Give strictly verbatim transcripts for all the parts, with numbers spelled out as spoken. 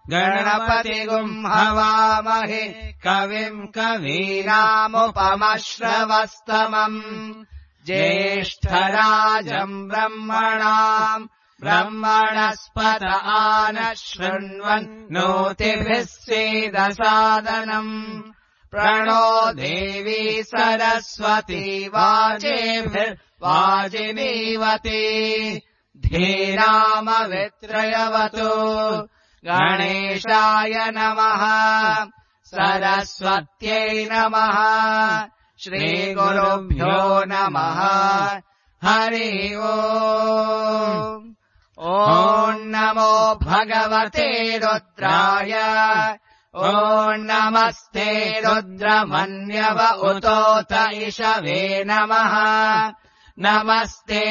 गणपतिगुम् हवामहे कविम् कवीनामुपमश्रवस्तमम् ज्येष्ठराजम् ब्रह्मणाम् ब्रह्मणस्पत आनः शृण्वन् नोतिभिः सीदसादनम् प्रणो देवी सरस्वती वाजेभिर्वाजिनीवती धीरामवित्रयवतु गणेशाय नमः सरस्वत्यै नमः श्रीगुरुभ्यो नमः हरि ओम् ॐ नमो भगवते रुद्राय ॐ नमस्ते रुद्रमन्यव उतोत इषवे नमः नमस्ते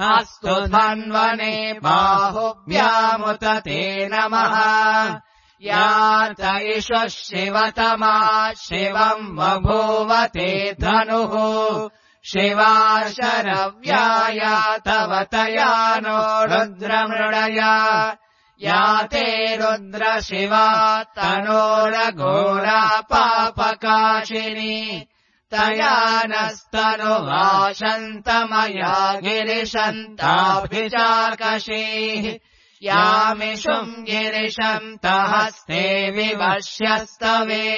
अस्तु धन्वने बाहुभ्यामुत ते नमः यात इषु शिवतमा शिवम् बभूव ते धनुः शिवा शरव्याया तव तया नो रुद्रमृडया या ते रुद्र शिवा तनोरघोरा पापकाशिनी तया नस्तनुवाशन्तमया गिरिशन्ताभिचाकशीः यामिषुम् गिरिशन्तहस्ते विवश्यस्तवे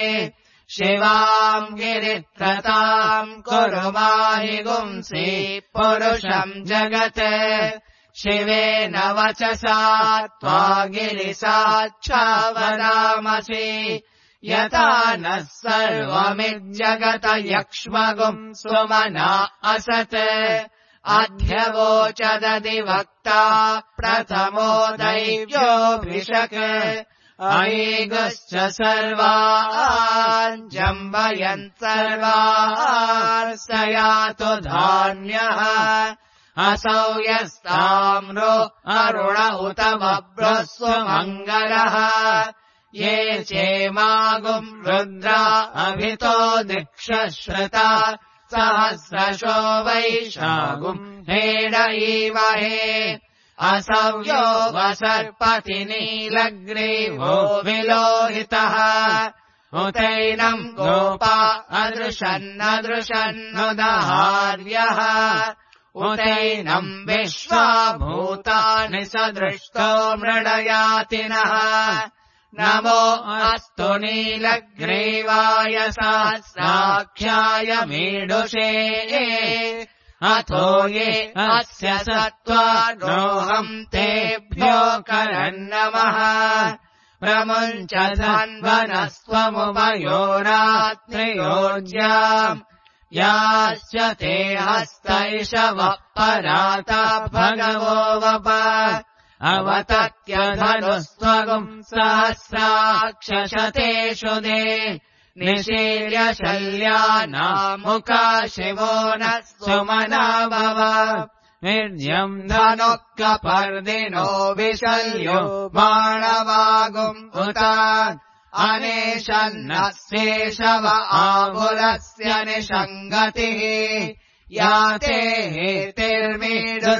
शिवाम् गिरित्रताम् कुरु माहिगुंसि पुरुषम् जगत् शिवेन वचसा त्वा गिरिसाच्छावरामसि यथा नः सर्वमिज्जगत यक्ष्मगुम् सुमना असत् अध्यवोचदधिवक्ता प्रथमो दैव्योऽभिषक् अयिगश्च सर्वान् जम्बयन् सर्वान् स यातु धान्यः असौ यस्ताम्रो अरुण उत बभ्रस्व मङ्गलः ये चेमागुम् रुद्रा अभितो दिक्षश्रुता सहस्रशो वैशागुम् हेड ईमहे असव्यो वसर्पति नीलग्रीवो विलोहितः उतैनम् गोपा अदृशन्नदृशन्नुदहार्यः उतैनम् विश्वा भूतानि सदृष्टो मृडयातिनः नमो अस्तु नीलग्रीवाय सहस्राख्याय मीडुषे अथो ये अस्य सत्त्वानोऽहम् तेभ्यो करन्नमः प्रमुञ्च धन्वनस्त्वमुभयोरात्रियोज्याम् याश्च ते हस्तैषवः पराता भगवो वप अवतत्यधनुस्त्वगुम् सहस्राक्षशतेषु दे निशीर्य शल्यानामुका शिवो नः सुमना भव निर्जम् धनुः कपर्दिनो विशल्यो बाणवागुम् उत अनेशन्नः शेषव आहुलस्य निषङ्गतिः याते हेतिर्मीदुष्टवास्ते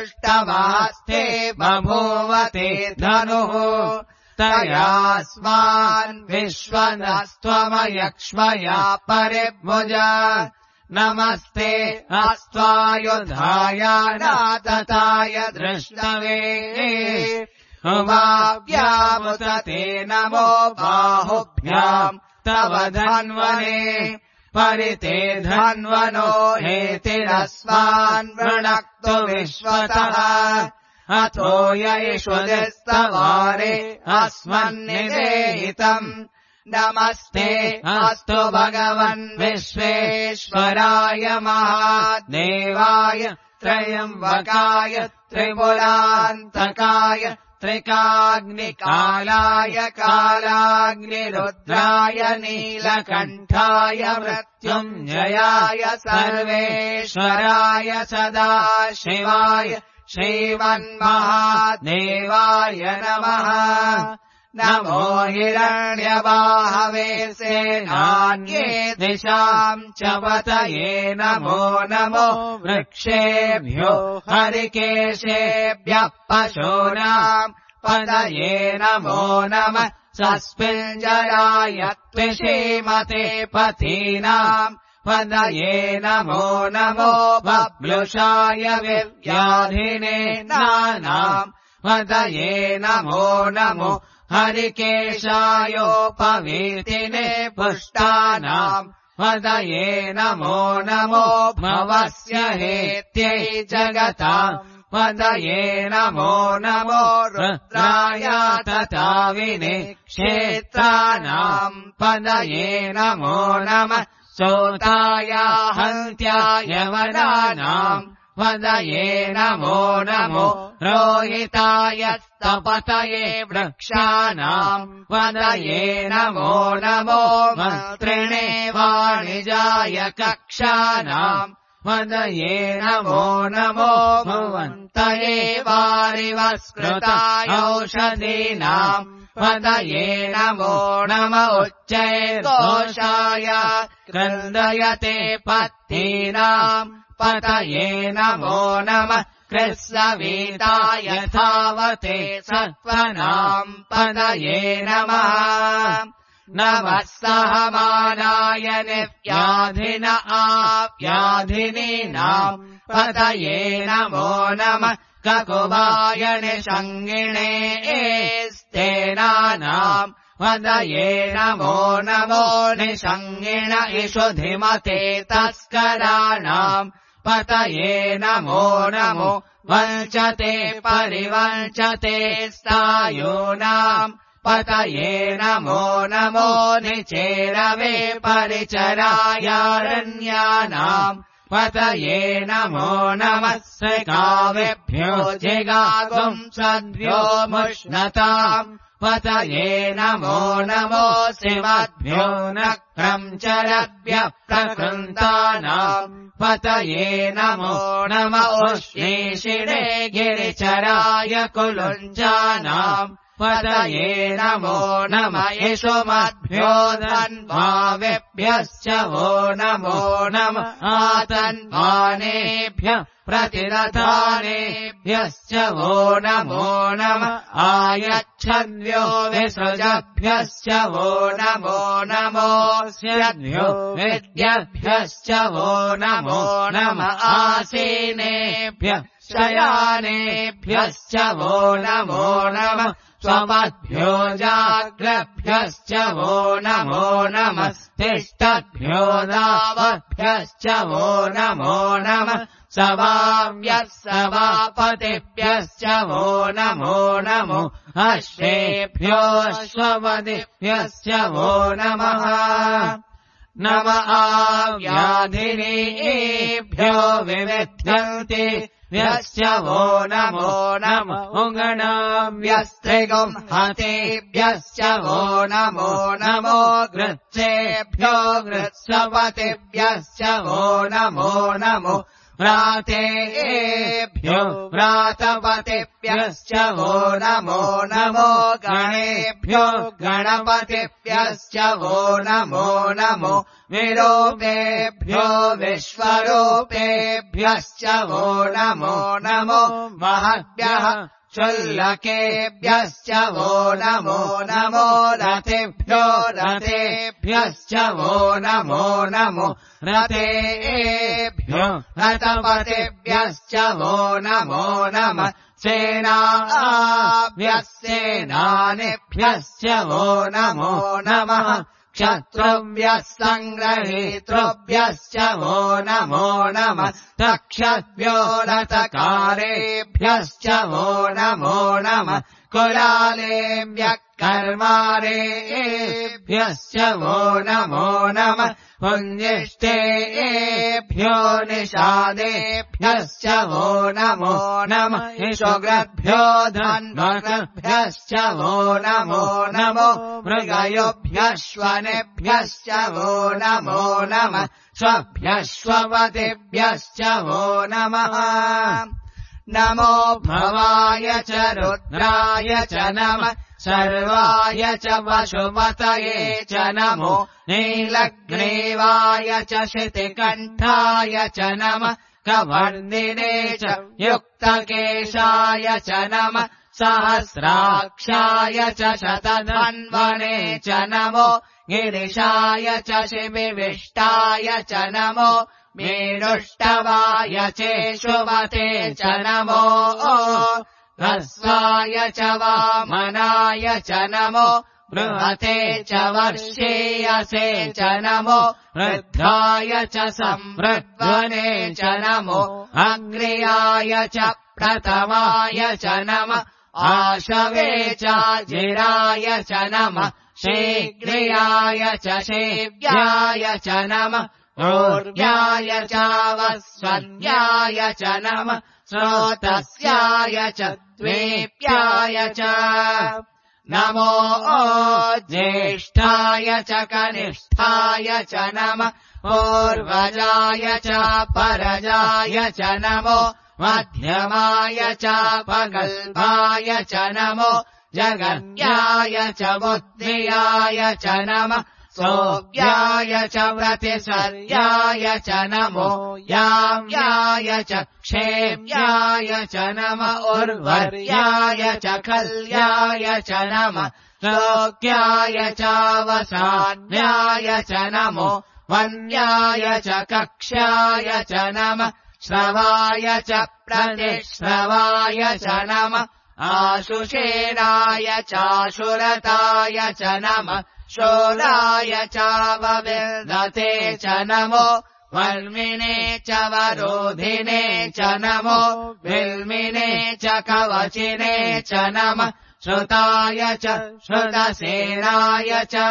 बभूवते धनुः तयास्मान् विश्वनस्त्वमयक्ष्मया परिभुज नमस्ते अस्त्वायुधाय नातताय दृष्टवे उभाव्यामुत ते नमो बाहुभ्याम् तव धन्वने परिते धन्वनो हेतिरस्मान् वृणक्तु विश्वतः अथो यैषुदिस्तवारे अस्मन्निदेहितम् नमस्ते अस्तु भगवन् विश्वेश्वराय महादेवाय त्रयम्बकाय त्रिपुरान्तकाय त्रिकाग्निकालाय कालाग्निरुद्राय नीलकण्ठाय मृत्युञ्जयाय सर्वेश्वराय सदाशिवाय श्रीमन्महादेवाय नमः नमो हिरण्यबाहवे सेनान्ये दिशाम् च पतये नमो नमो वृक्षेभ्यो हरिकेशेभ्यः पशूनाम् पतये नमो नमः सस्मिञ्जराय त्विषीमते पतीनाम् पदये नमो नमो बभ्लुषाय विव्याधिने नानाम् पदये नमो नमो हरिकेशायोपवीतिने पुष्टानाम् पदये नमो नमो भवस्य हेत्यै जगताम् पदये नमो नमो रुद्राय तथाविने क्षेत्राणाम् पदये नमो नमः सोताय हन्त्याय वनानाम् पदये नमो नमो रोहिताय स्तपतये वृक्षाणाम् पदये नमो नमो मन्त्रिणे वाणिजाय कक्षाणाम् पदये नमो नमो भुवन्तये वारिवस्कृताय औषधीनाम् पदये नमो नम उच्चैर्दोषाय क्रन्दयते पत्नीनाम् पदये नमो नमः कृत्स्नवीताय धावते सत्त्वनाम् पदये नमः नमः सहमानाय निव्याधिन आव्याधिनीनाम् पदये नमो नमः ककुवाय निषङ्गिणे स्तेनानाम् पदये नमो नमो निषङ्गिण इषुधिमते तस्कराणाम् पदये नमो नमो वञ्चते परिवञ्चते स्थायूनाम् पदये नमो नमो निचेरवे परिचरायारण्यानाम् पदये नमो नमः सकावेभ्यो जिगागुम् सद्भ्यो मुष्णताम् पदये नमो नमो शिवद्भ्यो नक्रञ्चरभ्यः प्रकृन्तानाम् पदये नमो नम उष्णीषिणे गिरिचराय कुलुञ्जानाम् पदये नमो नम यशोमद्भ्यो धन्वावेभ्यश्च वो नमो नम आतन्वानेभ्यः प्रतिरथानेभ्यश्च वो नमो नम आयच्छद्भ्यो विसृजभ्यश्च वो नमो नमोऽस्यद्भ्यो विद्यभ्यश्च वो नमो नम आसीनेभ्यः शयानेभ्यश्च वो नमो नम स्वमद्भ्यो जाग्रभ्यश्च वो नमो नमः तिष्ठद्भ्यो दावभ्यश्च वो नमो नमः सवाव्यः सवापतिभ्यश्च वो नमो नमो अश्वेभ्यो अश्वपतिभ्यश्च वो नमः नम आव्याधिनीभ्यो विविध्यन्ति व्यश्च वो नमो नम उगणाव्यस्त्रिगुम् हतेभ्यश्च वो नमो नमो गृच्छेभ्यो गृत्सवतिभ्यश्च वो नमो नमो व्रातेभ्यो व्रातपतिभ्यश्च वो नमो नमो गणेभ्यो गणपतिभ्यश्च वो नमो नमो विरूपेभ्यो विश्वरूपेभ्यश्च वो नमो नमो महद्भ्यः शुल्लकेभ्यश्च वो नमो नमो रथेभ्यो रथेभ्यश्च वो नमो नमो रथेभ्यो रथपतिभ्यश्च वो नमो नमः सेनाभ्यस्सेनानिभ्यश्च वो नमो नमः क्षत्रुभ्यः सङ्ग्रहीतृभ्यश्च वो नमो नमः तक्षद्भ्यो रथकारेभ्यश्च वो नमो नमः कुलालेभ्यः कर्मारेभ्यश्च वो नमो नमः पुञ्जिष्टेभ्यो निषादेभ्यश्च वो नमो नमः इषुग्रभ्यो धन्वग्रभ्यश्च वो नमो नमो मृगयोभ्यश्वनेभ्यश्च वो नमो नमः स्वभ्यश्वपतिभ्यश्च वो नमः नमो भवाय च रुद्राय च नमः सर्वाय च वशुमतये च नमो नीलग्रीवाय च शितिकण्ठाय च नमः कवर्दिने च युक्तकेशाय च नमः सहस्राक्षाय च शतधन्वने च नमो गिरिशाय च शिविविष्टाय च नमो मेरुष्टवाय चेशुमते च नमो ह्रस्वाय च वामनाय च नमो बृहते च वर्षेयसे च नमो वृद्धाय च संवृद्वने च नमो अग्र्याय च प्रथमाय च नमः आशवे च जिराय च नमः शीघ्रियाय च शेव्याय च नमः ऊर्व्याय च वस्वन्याय च नमः स्रोतस्याय च द्वेप्याय च नमो ज्येष्ठाय च कनिष्ठाय च नमः पूर्वजाय च परजाय च नमो मध्यमाय च पगल्भाय च नमो जगन्याय च बुद्धियाय च नमः सोऽव्याय च व्रतिसर्याय च नमो याम्याय च क्षेम्याय च नमः उर्वर्याय च कल्याय च नमः श्लोक्याय च वसान्याय च नमो वन्याय च कक्ष्याय च नमः श्रवाय च प्रतिश्रवाय च नमः आशुषेणाय चाशुरताय च नमः शूराय च वविर्दते च नमो वर्मिणे च वरोधिने च नमो विल्मिने च कवचिने च नमः श्रुताय च श्रुतसेनाय च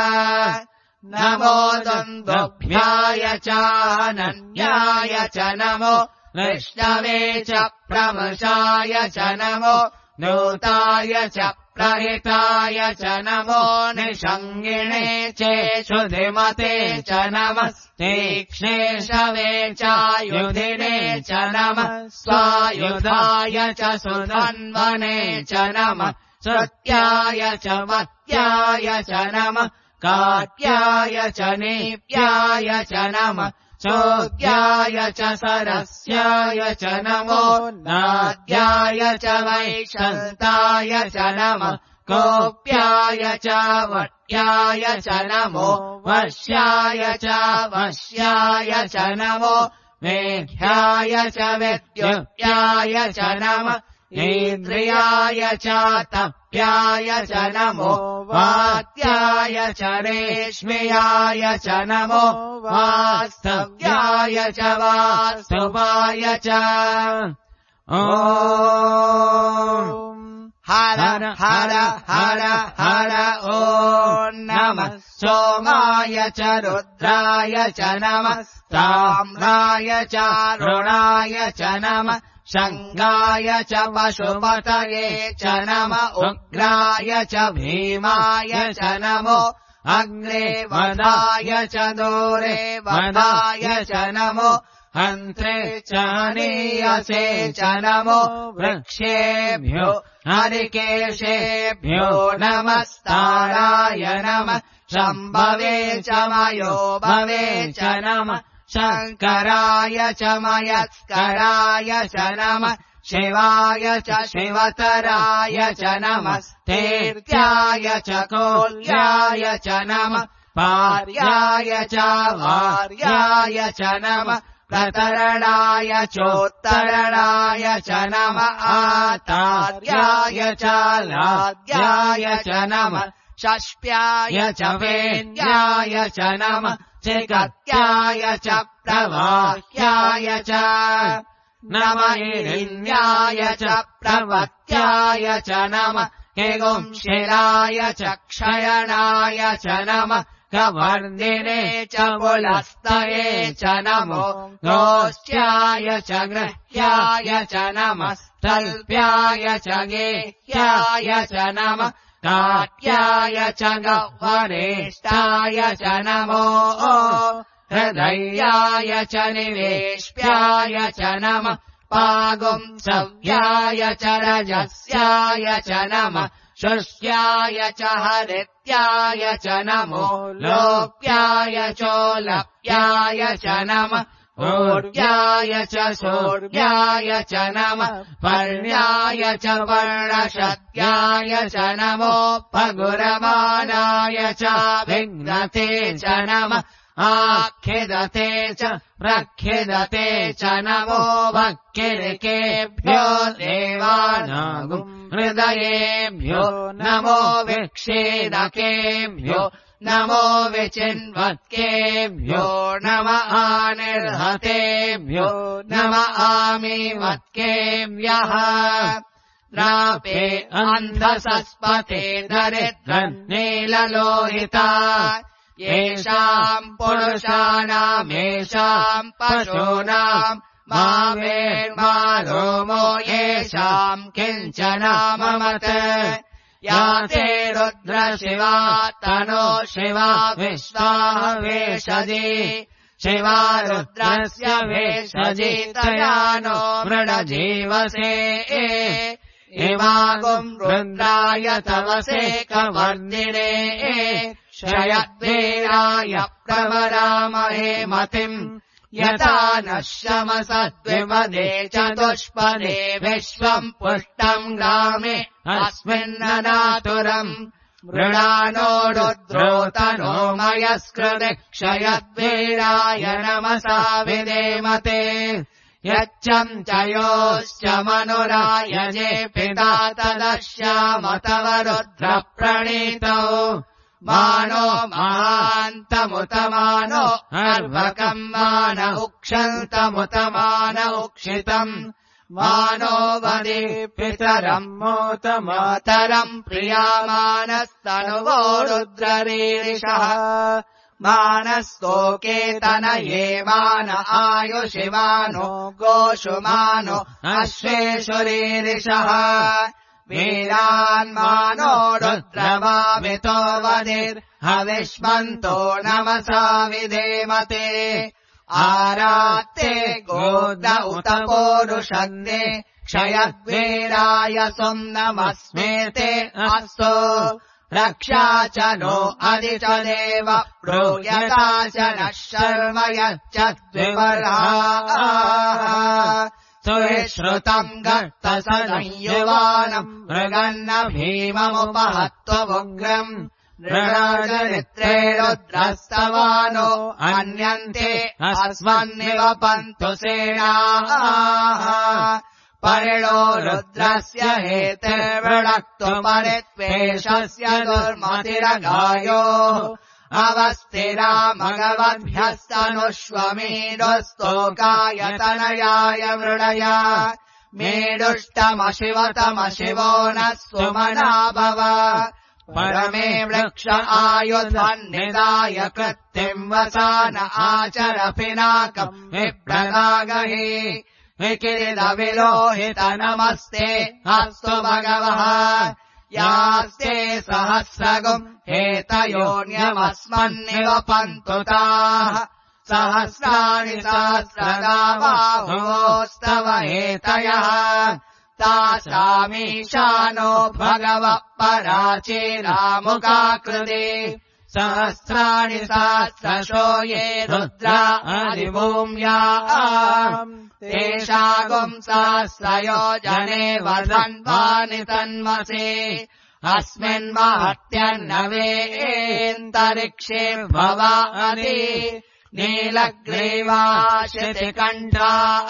नमो दुन्दुभ्याय च अनन्याय च नमो विष्णवे च प्रमशाय च नमो नूताय च प्रहिताय च नमो निषङ्गिणे चेषुधिमते च नमः तीक्ष्णे शवे चायुधिने च नमः स्वायुधाय च सुधन्वने च नमः श्रुत्याय च मत्याय च नमः काट्याय च नीप्याय च नमः चोद्याय च सरस्याय च नमो नाद्याय च वैशन्ताय च नमः कोप्याय च वट्याय च नमो वश्याय च वश्याय च नमो मेघ्याय च विद्युत्याय च नमः इन्द्रियाय च तप्याय च नमो वात्याय च रेश्म्याय च नमो वास्तव्याय च वास्तवाय च ॐ हर हर हर हर ॐ नमः सोमाय च रुद्राय च नमः ताम्राय च रुणाय च नमः शङ्गाय च पशुपतये च नमः उग्राय च भीमाय च नमो अग्रे वदाय च दूरे वदाय च नमो हन्त्रे च नीयसे च नमो वृक्षेभ्यो हरिकेशेभ्यो नमस्ताराय नमः शम्भवे च मयो भवे च नमः शङ्कराय च मयस्कराय च नमः शिवाय च शिवतराय च नमः तीर्थ्याय च कोल्याय च नमः पार्याय च वार्याय च नमः प्रतरणाय चोत्तरणाय च नमः आतार्याय च लाद्याय च नमः षष्प्याय च वेद्याय च नमः चिकत्याय च प्रवाह्याय च नमः हिरण्याय च प्रवत्याय च नमः हिगुंशिराय च क्षयणाय च नमः कवर्दिने च पुलस्तये च नमो गोष्ट्याय च गृह्याय च नमः तल्प्याय च गेह्याय च नमः काट्याय च गह्वरेष्ठाय च नमो हृदयाय च निवेश्याय च नमः पागुंसव्याय च रजस्याय च नमः शुष्याय च हरित्याय च नमो लोप्याय चोलप्याय च नमः ऊर्व्याय च सूर्याय च नमः पर्ण्याय च वर्णशत्याय च नमोपगुरमानाय च विघ्नते च नमः आख्यदते च प्रख्यदते च नमो भक्तिरिकेभ्यो देवानागुं हृदयेभ्यो नमो विक्षेदकेभ्यो नमो विचिन्वत्केभ्यो नम आनिर्हतेभ्यो नम आमीवत्केभ्यः रापे अन्धसस्पते दरिद्रन् नीललोहिता येषाम् पुरुषाणामेषाम् पशूनाम् मा वेर्मा रोमो येषाम् किञ्चनाममत् या ते रुद्र शिवा तनो शिवा विश्वाः वेषजी शिवा रुद्रस्य वेषजी तया नो मृडजीवसे इमागुम् रुद्राय तवसे कवर्दिने शयद्वीराय प्रवरामहे मतिम् यथा नः शमसद्विपदे चतुष्पदे विश्वम् पुष्टम् ग्रामे अस्मिन्ननातुरम् मृणानो रुद्रोतनो मयस्कृते क्षयद्वीराय नमसा विदेमते यच्चम् च योश्च मनुरायजे पिता तदश्याम तव रुद्रप्रणीतौ मानो महान्तमुतमानो अर्भकम् मान उक्षन्तमुतमान उक्षितम् मानो वदे पितरम् मोतमातरम् प्रियामानस्तनुवो रुद्ररीरिषः मानस्तोकेतनये मान आयुषिमानो गोषुमानो अश्वेषुरीरिषः वीरान्मानो रुद्रवामितो वदिर्हविष्मन्तो नमसा विधेमते आरात्ते गोद उत पोरुषन्ते क्षयद्वीराय सुम् नमस्मेते अस्तु रक्षा च नो अधि च देव प्रोयता च नः शर्म यच्च द्विवर्हाः सुश्रुतम् गर्तसंयुवानम् मृगन्न भीममुपहत्वमुग्रम् नृणाचरित्रे रुद्रस्तवानो अन्यन्ते अस्मन्निव पन्तु सेनाः परिणो रुद्रस्य हेतिर्वृणक्तुमरित्वेषस्य दुर्मतिरगायोः अवस्थिरा मगवद्भ्यस्तनुष्वमेधस्तोकाय वृणय मेडुष्टमशिवतमशिवो नः सुमना भव परमे वृक्ष आयुधन्निदाय कृत्तिम् वसान आचर पिनाकम् विप्रदागहि विकिरिदविलोहित नमस्ते अस्तु भगवः यास्ते सहस्रगुम् हेतयोन्यमस्मन्निव पन्तु ताः सहस्राणि सहस्रगाबाहुवोस्तव हेतयः तासामीशानो भगवः पराचीरामुखाकृते सहस्राणि सहस्रशो ये रुद्रा अधिभूम्याः तेषागुम् सहस्रयोजने वदन्वानि तन्मसे अस्मिन् महत्यन्नवेन्तरिक्षे भवानि नीलग्रीवाशितिकण्ठाः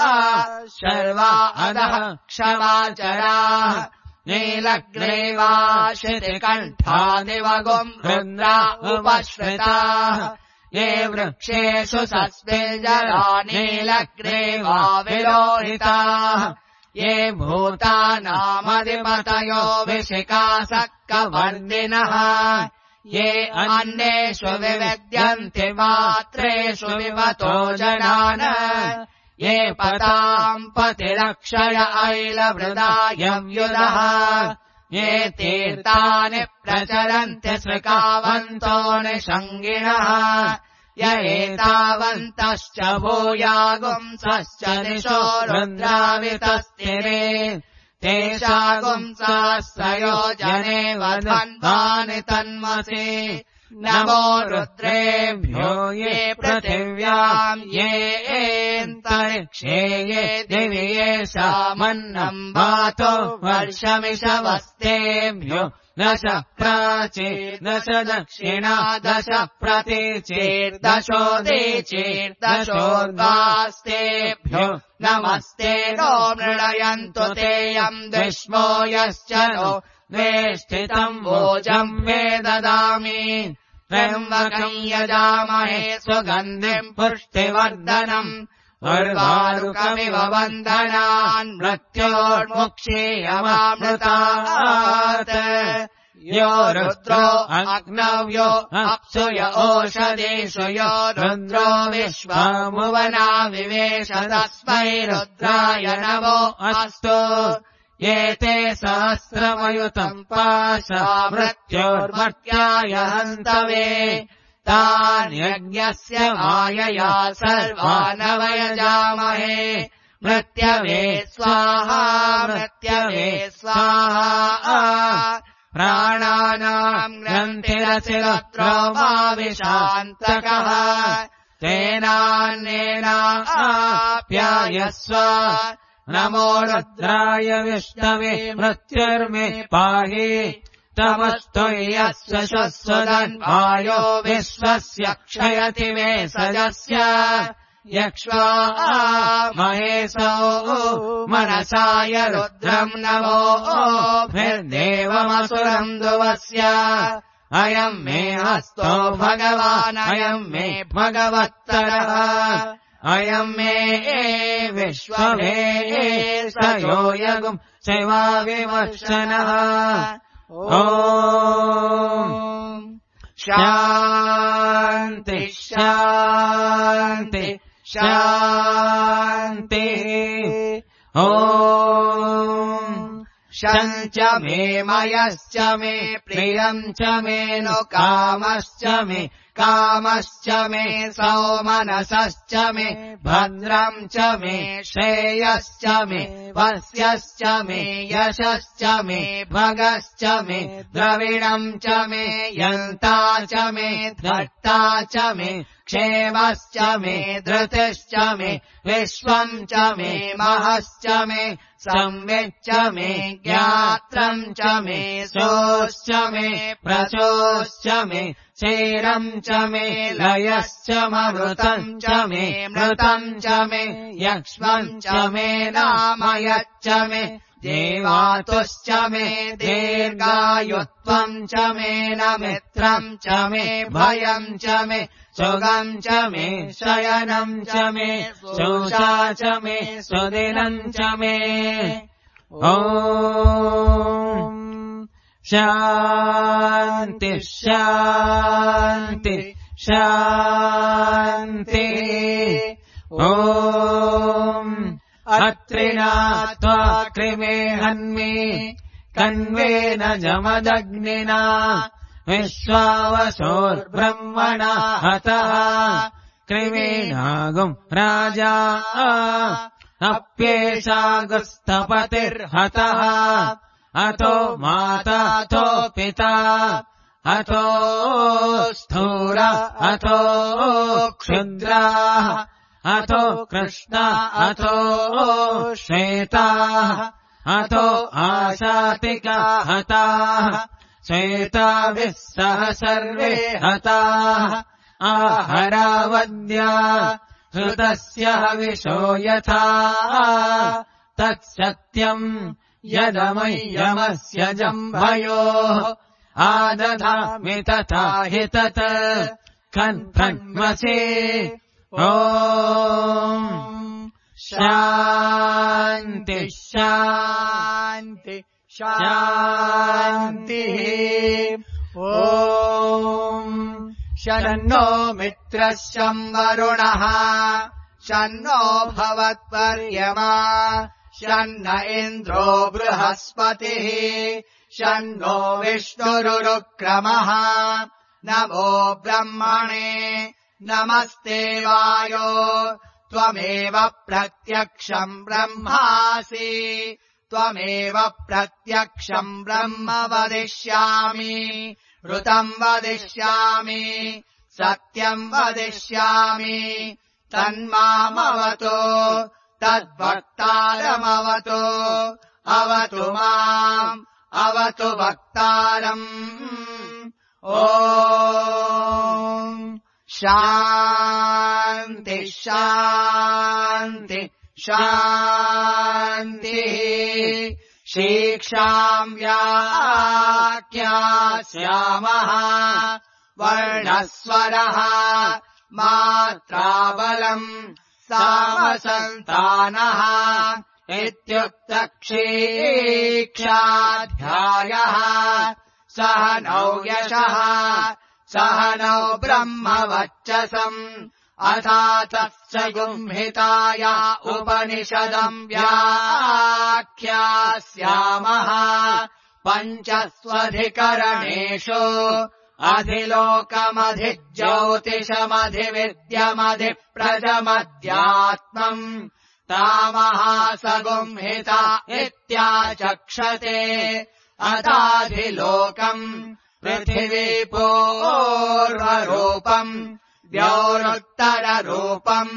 शर्वा अधः क्षमाचराः नीलग्रीवाशितिकण्ठादिवगुम् रुद्रा उपश्रिताः ये वृक्षेषु सस्मिञ्जरा नीलग्रीवा विलोहिताः ये भूतानामधिपतयो विशिखासक्कवर्दिनः ये अन्येषु विविद्यन्ति मात्रेषु विवतो जनान् ये पताम् पतिरक्षय ऐलवृदायव्युदः ये तीर्थानि प्रचरन्ति सृकावन्तो निषङ्गिणः य एतावन्तश्च भूयागुंसश्च दिशो रुद्रावितस्तिरे तेषागुंसहस्रयोजने वधन्वानि तन्मसि नमो रुद्रेभ्यो ये पृथिव्याम् ये एन्तरिक्षे ये दिवि येषामन्नम् वातो वर्षमिषवस्तेभ्यो दश प्राचीर्दश दक्षिणा दश प्रतीचीर्दशोदीचीर्दशोर्गास्तेभ्यो नमस्ते नो मृळयन्तु तेयम् द्विष्मो यश्च नो द्वेष्टितम् वोजम् वे ददामि त्र्यम्बकम् यजामहे सुगन्धिम् पुष्टिवर्धनम् उर्वारुकमिव बन्धनान् मृत्योर्मुक्षीयमामृतात् यो रुद्रो अग्नव्यो अप्सुय ओषधीषु यो रुद्रो विश्वमुवना विवेश तस्मै रुद्राय नमो अस्तु एते सहस्रमयुतम् पाशा मृत्योर्मर्त्याय हन्तवे तान् यज्ञस्य मायया सर्वानवयजामहे मृत्यवे स्वाहा मृत्यवे स्वाहा प्राणानाम् ग्रन्थिरसिरत्रो मा विशान्तकः तेनान्नेनाप्यायस्व नमो रुद्राय विष्णवे मृत्युर्मे पाहि तमस्तु यस्य शस्वदन्वायो विश्वस्य क्षयति मे सजस्य यक्ष्वा महेशो मनसाय रुद्रम् नमो भिर्देवमसुरम् दुवस्य अयम् मे हस्तो भगवान् अयम् मे भगवत्तरः अयम् मे विश्वमे स यो यगुम् सेवा विमर्शनः ओम शांति शांति शांति ओम शंच मे मयश्च मे प्रियम् च मे नु कामश्च मे कामश्च मे सौमनसश्च मे भद्रम् च मे श्रेयश्च मे वस्यश्च मे यशश्च मे भगश्च मे द्रविणम् च मे यन्ता च मे धट्टा च मे क्षेमश्च मे धृतिश्च मे विश्वम् च मे महश्च मे संविच्च मे ज्ञात्रम् च मे सोश्च मे प्रचोश्च मे चैरम् च मे लयश्च ममृतम् च मे मृतम् च मे यक्ष्मम् च मे नामयच्च मे देवातुश्च मे दीर्घायुत्वम् च मे न मित्रम् च मे भयम् च मे सुगम् च मे शयनम् च मे शोषा च मे सुदिनम् च मे ओम शान्ति शान्ति शान्ति ओम अत्रिणा त्वा कृमे हन्मि कन्वेन जमदग्निना विश्वावसोर्ब्रह्मणा हतः कृमेणागुम् राजा अप्येषागुस्थपतिर्हतः अतो माता अतो पिता अतो स्थूल अतो क्षुद्राः अतो कृष्णा अतो श्वेताः अतो आशातिका हताः श्वेताभिः सह सर्वे हताः आहरावद्या श्रुतस्य हविषो यथा तत्सत्यम् यदमय्यमस्य जम्भयोः आदधामि तथा हि तत् कन्फन्मसि ओम शान्ति शान्ति शान्तिः ओम शन्नो मित्रः शं वरुणः शन्नो भवत्पर्यमा शन्न इन्द्रो बृहस्पतिः शन्नो विष्णुरुक्रमः नमो ब्रह्मणे नमस्ते वायो त्वमेव प्रत्यक्षम् ब्रह्मासि त्वमेव प्रत्यक्षम् ब्रह्म वदिष्यामि ऋतम् वदिष्यामि सत्यम् वदिष्यामि तन्मामवतु तद्वक्तारमवतु अवतु माम् अवतु वक्तारम् ॐ शान्ति शान्ति शान्तिः शिक्षाम् व्याख्यास्यामः वर्णस्वरः मात्राबलम् सामसन्तानः इत्युक्तक्षीक्षाध्यायः सह नौ यशः सह नौ ब्रह्मवर्चसम् अथा तत्स गुंहिताया उपनिषदम् व्याख्यास्यामः पञ्चस्वधिकरणेषु अधिलोकमधिज्योतिषमधिविद्यमधिप्रजमध्यात्मम् तामहासगुंहिता इत्याचक्षते अथाधिलोकम् पृथिवीपूर्वरूपम् द्यौरुत्तररूपम्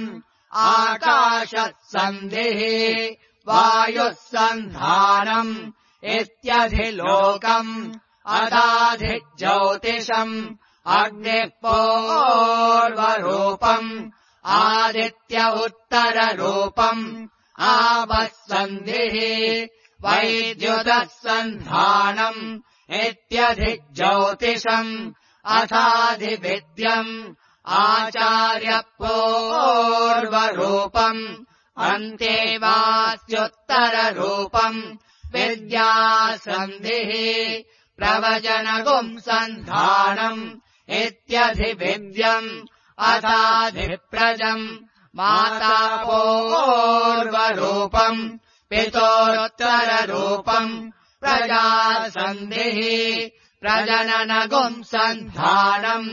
आकाशत्सन्धिः वायुः सन्धानम् इत्यधिलोकम् अथाधिज्योतिषम् अग्निः पूर्वरूपम् आदित्य उत्तररूपम् आपस्सन्धिः वैद्युतः सन्धानम् इत्यधिज्योतिषम् अथाधिविद्यम् आचार्य पूर्वरूपम् अन्तेवास्युत्तररूपम् विद्यासन्धिः प्रवचनगुम् सन्धानम् इत्यधिविद्यम् अथाधिप्रजम् माता पूर्वरूपम् पितोरुत्तररूपम् प्रजासन्धिः प्रजननगुम् सन्धानम्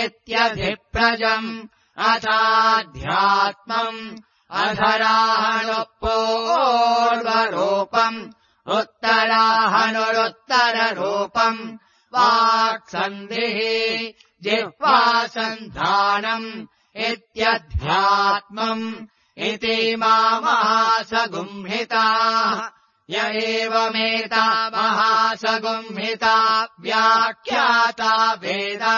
इत्यधिप्रजम् अथाध्यात्मम् अधराहणुपूर्वरूपम् उत्तराहनुरुत्तररूपम् वाक्सन्धिः जिह्वासन्धानम् इत्यध्यात्मम् इति महासगुंहिताः य एवमेता महासगुंहिता व्याख्याता वेदा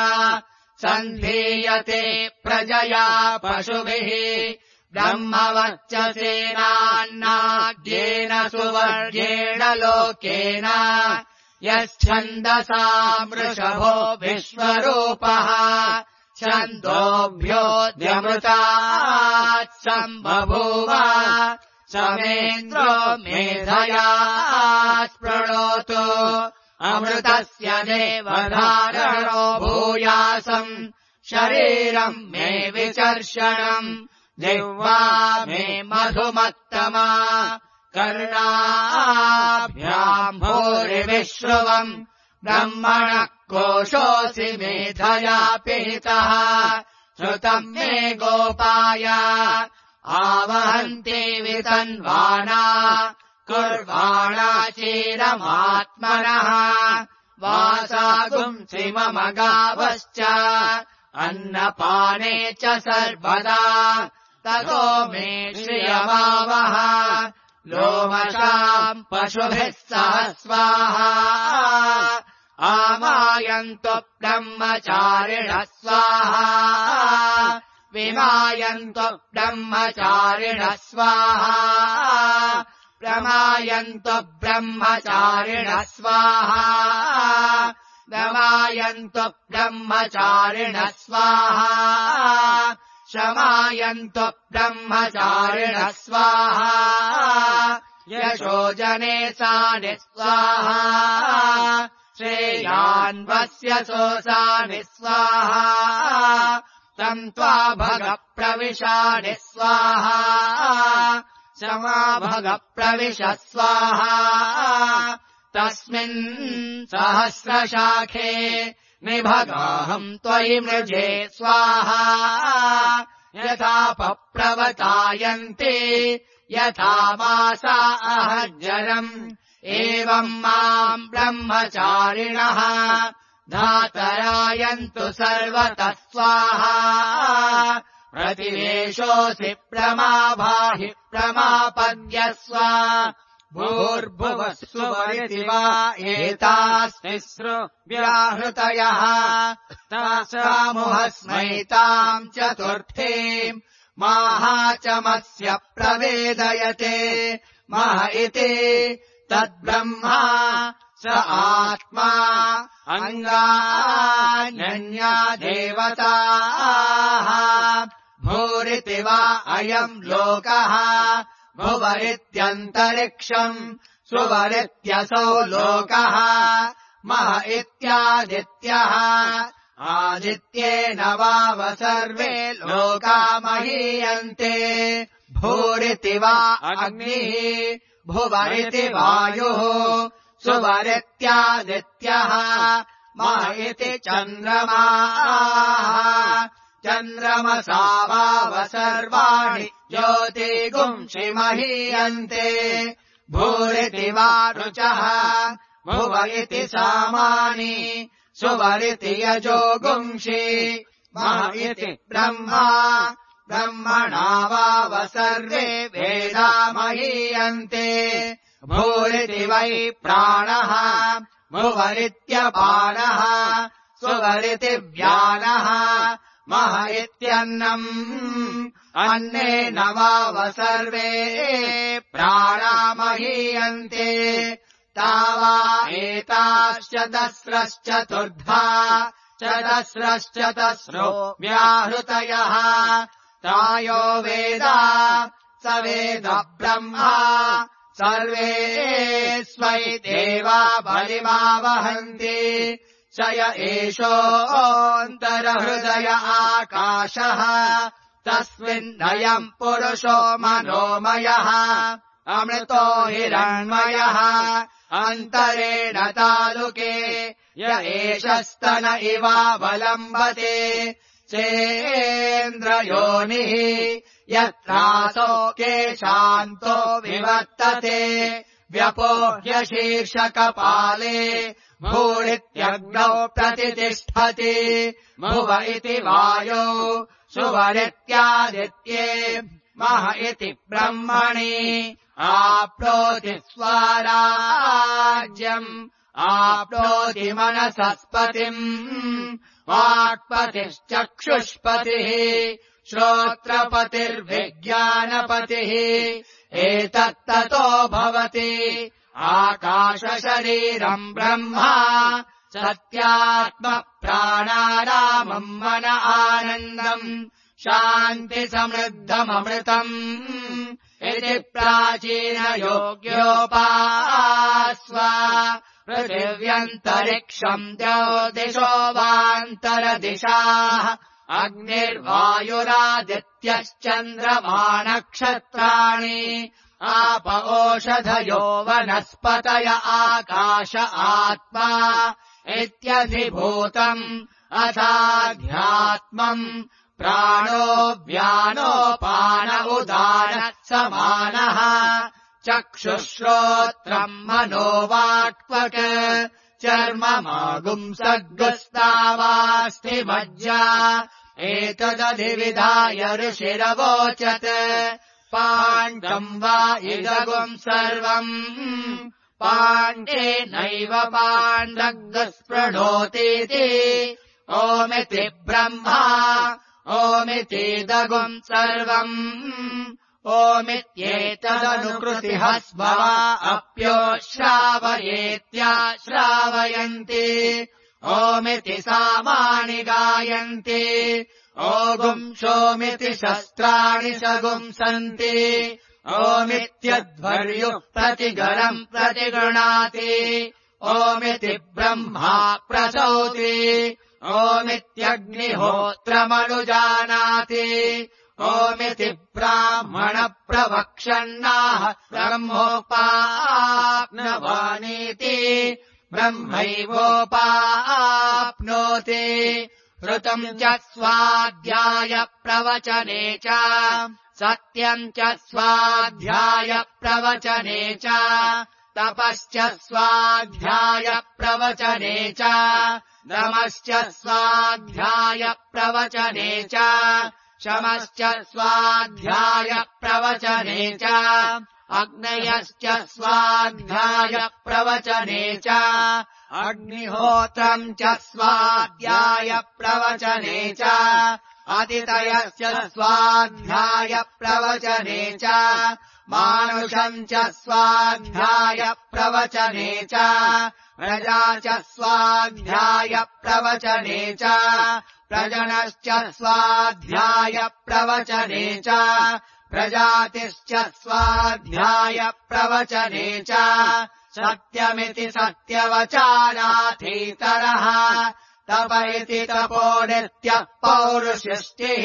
सन्धीयते प्रजया पशुभिः ब्रह्मवर्चसेनान्नाद्येन सुवर्गेण लोकेन यच्छन्दसा वृषभो विश्वरूपः छन्दोभ्योऽद्यमृतात् सम्बभूव समेन्द्रो मेधया स्पृणोतु अमृतस्य देवधारणो भूयासम् शरीरम् मे विचर्षणम् जिह्वा मे मधुमत्तमा कर्णाभ्याम् भूरिविश्रुवम् ब्रह्मणः कोशोऽसि मेधया पिहितः श्रुतम् मे गोपाय आवहन्ति वितन्वाना कुर्वाणा चीरमात्मनः वासागुंसि मम गावश्च अन्नपाने च सर्वदा ततो मे श्रियमावह लोमशाम् पशुभिः सह स्वाहा आमायन्तु ब्रह्मचारिणः स्वाहा विमायन्तु ब्रह्मचारिणः स्वाहा प्रमायन्तु ब्रह्मचारिणः स्वाहा दमायन्तु ब्रह्मचारिणः स्वाहा शमायन्तु ब्रह्मचारिणः स्वाहा यशोजने सानि स्वाहा श्रेयान्वस्य सोऽसानि स्वाहा तम् त्वा भग प्रविशानि स्वाहा शमा भग प्रविश स्वाहा तस्मिन् सहस्रशाखे निभगाहम् त्वयि मृजे स्वाहा यथा पप्रवतायन्ते यथा मासा अहज्जरम् एवम् माम् ब्रह्मचारिणः धातरायन्तु सर्वतः स्वाहा प्रतिवेशोऽसि प्रमाभाहि प्रमापद्यस्व भूर्भुवः सुवरिति वा एतास्तिस्रो व्याहृतयः तासामुहस्मैताम् चतुर्थीम् माहाचमस्य प्रवेदयते मह इति तद्ब्रह्मा स आत्मा अङ्गान्यन्या देवताः भूरिति वा अयम् लोकः भुवरित्यन्तरिक्षम् सुवरित्यसौ लोकः मह इत्यादित्यः आदित्येन वाव सर्वे लोका महीयन्ते भूरिति वा अग्निः भुवरिति वायुः सुवरित्यादित्यः मह इति चन्द्रमाः चन्द्रमसा वाव सर्वाणि ज्योतिगुंषि महीयन्ते भूरिति वा रुचः भुव इति सामानि सुवरिति यजोगुंषि मह इति ब्रह्मा ब्रह्मणा वाव सर्वे वेदा महीयन्ते भूरिति वै प्राणः भुवरित्यपानः सुवरिति व्यानः मह इत्यन्नम् अन्नेन वाव सर्वे प्राणा महीयन्ते तावा एताश्चतस्रश्चतुर्धा चतस्रश्चतस्रो व्याहृतयः तायो वेदा स वेद ब्रह्मा सर्वे स्वै देवा बलिमावहन्ति स य एषोऽन्तरहृदय आकाशः तस्मिन्नयम् पुरुषो मनोमयः अमृतो हिरण्मयः अन्तरेण तालुके य एष स्तन इवावलम्बते चेन्द्रयोनिः यत्रासो केशान्तो विवर्तते व्यपोह्य शीर्षकपाले भूरित्यग्नौ प्रतितिष्ठति भुव इति वायौ सुवरित्यादित्ये मह इति ब्रह्मणि आप्नोति स्वराज्यम् आप्नोति मनसस्पतिम् वाक्पतिश्चक्षुष्पतिः श्रोत्रपतिर्विज्ञानपतिः एतत्ततो भवति आकाशशरीरम् ब्रह्मा सत्यात्मप्राणारामम् मन आनन्दम् शान्तिसमृद्धममृतम् इति प्राचीनयोग्योपास्व पृथिव्यन्तरिक्षम् द्यौदिशो वान्तरदिशाः अग्निर्वायुरादित्यश्चन्द्रमा नक्षत्राणि आप ओषधयो वनस्पतय आकाश आत्मा इत्यधिभूतम् अथाध्यात्मम् प्राणो व्यानोपान उदान समानः चक्षुश्रोत्रम् मनोवाक्पक चर्ममागुंसग्गस्तावास्थिमज्जा एतदधिविधाय ऋषिरवोचत् पाण्डम् वा इदगुम् सर्वम् पाण्डेनैव पाण्डग्गस्पृणोतीति ओमिति ब्रह्मा ओमितीदगुम् सर्वम् ओमित्येतदनुकृतिः स्मवा अप्योश्रावयेत्याश्रावयन्ति ओमिति सामानि गायन्ति ओगुंशोमिति शस्त्राणि सगुंसन्ति ओमित्यध्वर्युः प्रतिगणम् प्रतिगृणाति ओमिति ब्रह्मा प्रसौति ओमित्यग्निहोत्रमनुजानाति ओमिति ब्राह्मण प्रवक्षन्नाः ब्रह्मोपाप्नवानीति ब्रह्मैवोपाप्नोति ऋतम् च स्वाध्याय प्रवचने च सत्यम् च स्वाध्याय प्रवचने च तपश्च स्वाध्यायप्रवचने च दमश्च स्वाध्यायप्रवचने च शमश्च स्वाध्यायप्रवचने च अग्नयश्च स्वाध्यायप्रवचने च अग्निहोत्रम् च स्वाध्यायप्रवचने च अतितयश्च स्वाध्यायप्रवचने च मानुषम् च स्वाध्यायप्रवचने च प्रजा च स्वाध्यायप्रवचने च प्रजनश्च स्वाध्यायप्रवचने च प्रजातिश्च स्वाध्यायप्रवचने च सत्यमिति सत्यवचानाथीतरः तप इति तपो नित्यः पौरुषष्टिः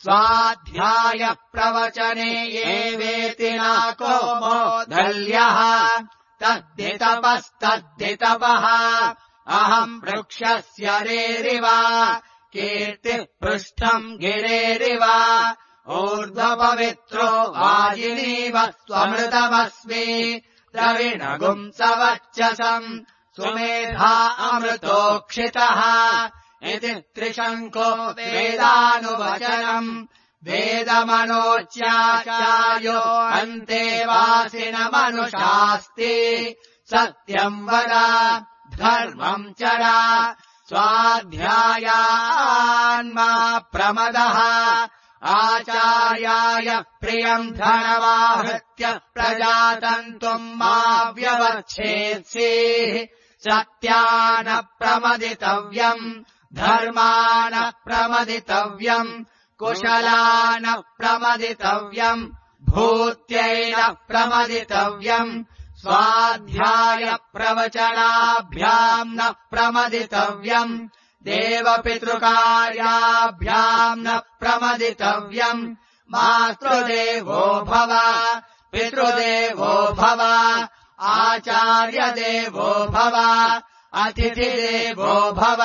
स्वाध्यायप्रवचने ये वेति नाको मोदल्यः तद्धितपस्तद्धितपः अहम् वृक्षस्य रेरिव कीर्तिः पृष्ठम् गिरेरिव ऊर्ध्वपवित्रो वाजिनीव स्वमृतमस्मि द्रविणगुम् सवच्चसम् सुमेधा अमृतोक्षितः इति त्रिशङ्को वेदानुवचनम् वेदमनोच्याचार्यो अन्ते वासिनमनुषास्ति सत्यम् वद धर्मम् चर स्वाध्यायान्मा प्रमदः आचार्याय प्रियम् धनमाहृत्य प्रजातन्तुम् मा व्यवच्छेत्सीः सत्यान प्रमदितव्यम् धर्मान प्रमदितव्यम् कुशलान प्रमदितव्यम् भूत्यैन प्रमदितव्यम् स्वाध्याय प्रवचनाभ्याम् न प्रमदितव्यम् देवपितृकार्याभ्याम् न प्रमदितव्यम् मातृदेवो भव पितृदेवो भव आचार्यदेवो भव अतिथिदेवो भव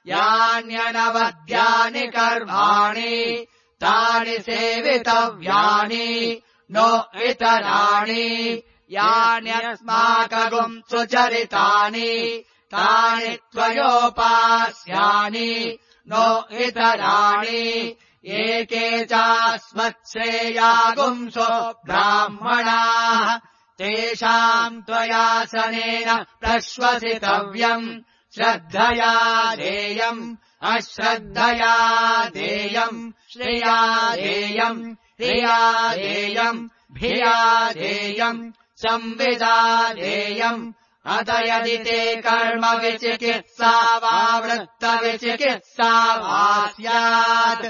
यान्यनवद्यानि कर्माणि तानि सेवितव्यानि नो इतराणि यान्यस्माकगुम् सुचरितानि तानि त्वयोपास्यानि नो इतराणि एके चास्मत्श्रेयागुंसो ब्राह्मणाः तेषाम् त्वयासनेन प्रश्वसितव्यम् श्रद्धया देयम् अश्रद्धया देयम् श्रिया देयम् रिया देयम् भिया देयम् संविदा देयम् अत यदि ते कर्म विचिकित्सा वा वृत्तविचिकित्सा वा स्यात्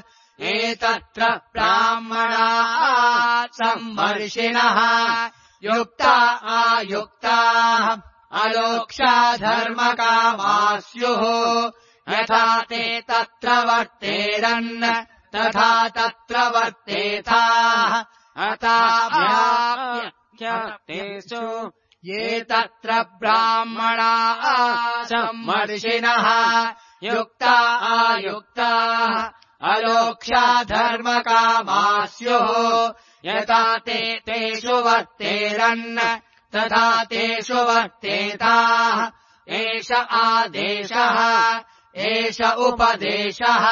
एतत्र ब्राह्मणाः सम्मर्षिणः युक्ता आयुक्ताः अलोक्षा धर्मकामा स्युः यथा ते तत्र वर्तेरन् तथा तत्र वर्तेथाः अथाभ्याप्यतेषु ये तत्र ब्राह्मणाः सम्मर्षिणः युक्ता आयुक्ताः अलोक्षा धर्मकामा स्युः यथा ते तेषु वर्तेरन् तथा तेषु वर्तेताः एष आदेशः एष उपदेशः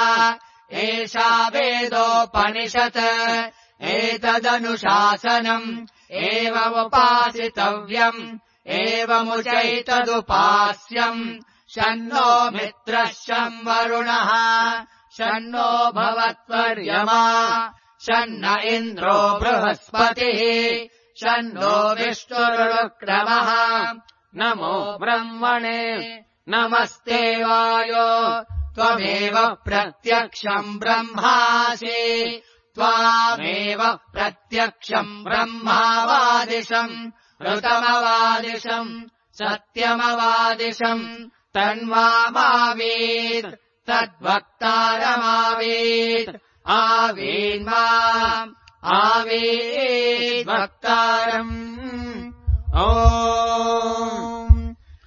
एषा वेदोपनिषत् एतदनुशासनम् एवमुपासितव्यम् एवमुचैतदुपास्यम् शन्नो मित्रः शं वरुणः शन्नो भवत्वर्यमा शन्न इन्द्रो बृहस्पतिः शन्नो विष्णुरुक्रमः नमो ब्रह्मणे नमस्ते वायो त्वमेव प्रत्यक्षम् ब्रह्मासि त्वामेव प्रत्यक्षम् ब्रह्मावादिशम् ऋतमवादिशम् सत्यमवादिशम् तन्मावीत् तद्वक्तारमावीत् आवीन्माम् आवीद्वक्तारम् ॐ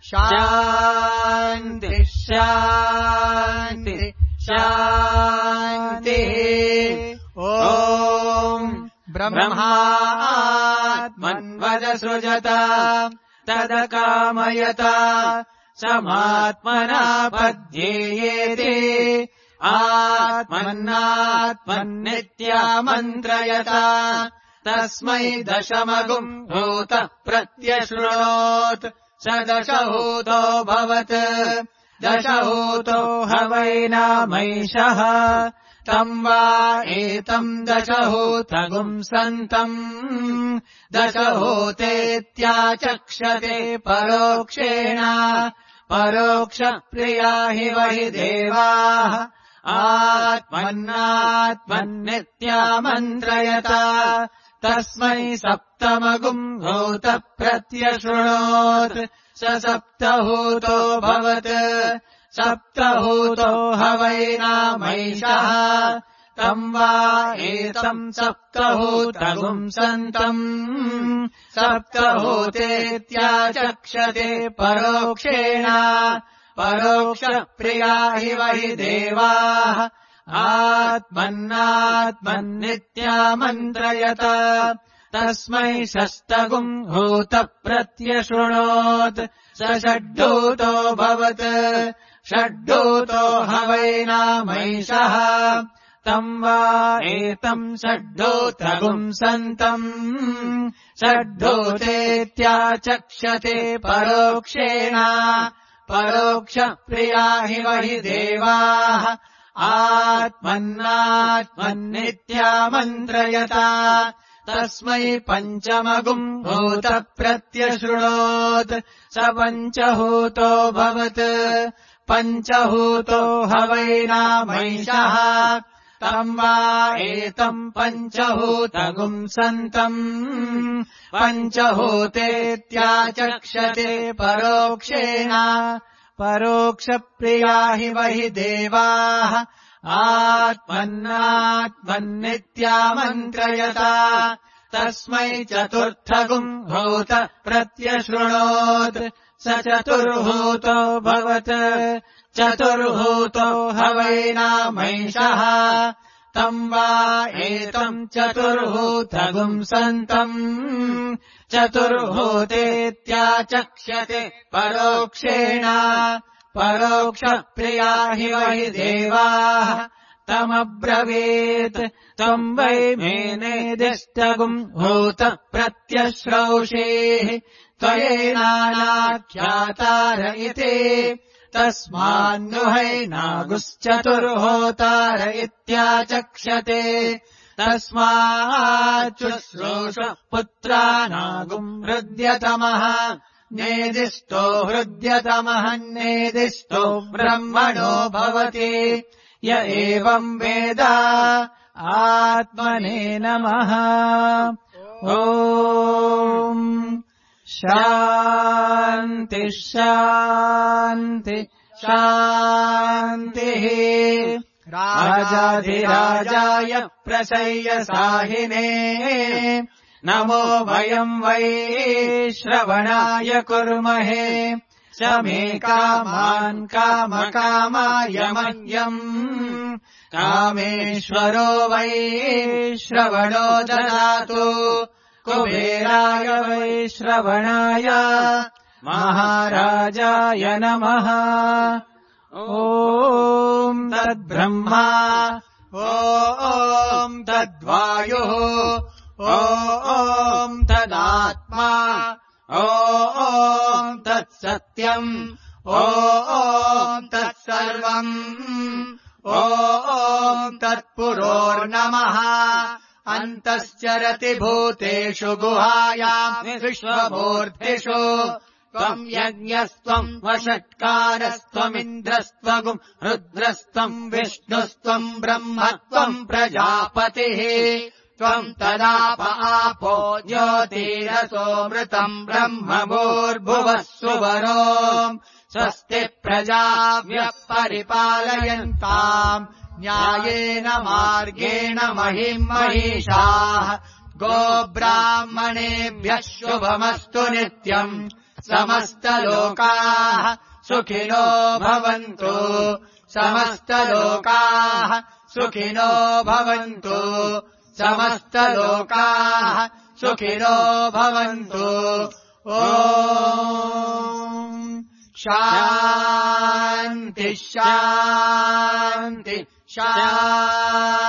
शान्ति शान्ति शान्तिः ॐ ब्रह्मात्मन्वद सृजत तदकामयता समात्मना पद्येयेति आत्मन्नात्मन्नित्यामन्त्रयता तस्मै दशमगुम् भूतः प्रत्यशृणोत् स दशहूतो भवत् दशहूतो ह वै नामैषः तम् वा एतम् दशहूतगुम् सन्तम् दशहूतेत्याचक्षते परोक्षेण परोक्षप्रिया हि वहि देवाः आत्मन्नात्मन्नित्यामन्त्रयता तस्मै सप्तमगुम् भूतः प्रत्यशृणोत् स सप्तहूतो भवत् सप्तहूतो ह वै नामैषः तम् वा एतम् सप्तहूतगुम् सन्तम् सप्तहूतेत्याचक्षते परोक्षेण परोक्षप्रिया हि वहि देवाः आत्मन्नात्मन्नित्यामन्त्रयता तस्मै षष्ठगुम् भूतः प्रत्यशृणोत् स षड्भूतो भवत् षड्भूतो ह वै नामैषः तम् वा एतम् षड्भूतगुम् सन्तम् षड्भूतेत्याचक्षते परोक्षेण परोक्षप्रिया हि वहि देवाः आत्मन्नात्मन्नित्यामन्त्रयता तस्मै पञ्चमगुम् भूतः प्रत्यशृणोत् स पञ्चहूतो भवत् पञ्चहूतो ह वै नामैषः तम् वा एतम् पञ्चहूतगुम् सन्तम् पञ्चहूतेत्याचक्षते परोक्षेण परोक्षप्रिया हि वहि देवाः आत्मन्नात्मन्नित्यामन्त्रयता तस्मै चतुर्थगुम् भूतः प्रत्यशृणोत् स चतुर्भूतो भवत् चतुर्भूतो ह वै नामैषः तम् वा एतम् चतुर्भूतगुम् सन्तम् चतुर्भूतेत्याचक्षते परोक्षेण परोक्षप्रिया हि वहि देवाः तमब्रवीत् त्वम् वै मे नेदिष्टगुम् भूतः प्रत्यश्रौषेः त्वयैनाख्यातार इति तस्मान्नुहैनागुश्चतुर्होतार इत्याचक्षते तस्माच्छुश्रूष पुत्रानागुम् हृद्यतमः नेदिष्टो हृद्यतमः नेदिष्टो ब्रह्मणो भवति य एवम् वेद आत्मने नमः ॐ शान्ति शान्ति शान्तिः राजाधिराजाय प्रसय्यसाहिने नमो वयम् वै श्रवणाय कुर्महे स मे कामान् कामकामाय मह्यम् कामेश्वरो वै श्रवणो ददातु कुबेराय वै श्रवणाय महाराजाय नमः ॐ तद्ब्रह्मा ॐ तद्वायुः ॐ तदात्मा ॐ तत्सत्यम् ॐ तत्सर्वम् ॐ तत्पुरोर्नमः अन्तश्चरति भूतेषु गुहायाम् विश्वमूर्तिषु त्वम् यज्ञस्त्वम् वषट्कारस्त्वमिन्द्रस्त्वगुम् रुद्रस्त्वम् विष्णुस्त्वम् ब्रह्मत्वम् प्रजापतिः त्वम् तदाप आपो ज्योतिरसोऽमृतम् ब्रह्म भूर्भुवः सुवरो स्वस्ति प्रजाभ्यः परिपालयन्ताम् न्यायेन मार्गेण महिम् महिषाः गोब्राह्मणेभ्यः शुभमस्तु नित्यम् समस्तलोकाः सुखिनो भवन्तु समस्तलोकाः सुखिनो भवन्तु समस्तलोकाः सुखिनो भवन्तु ॐ शान्ति शान्ति शान्ति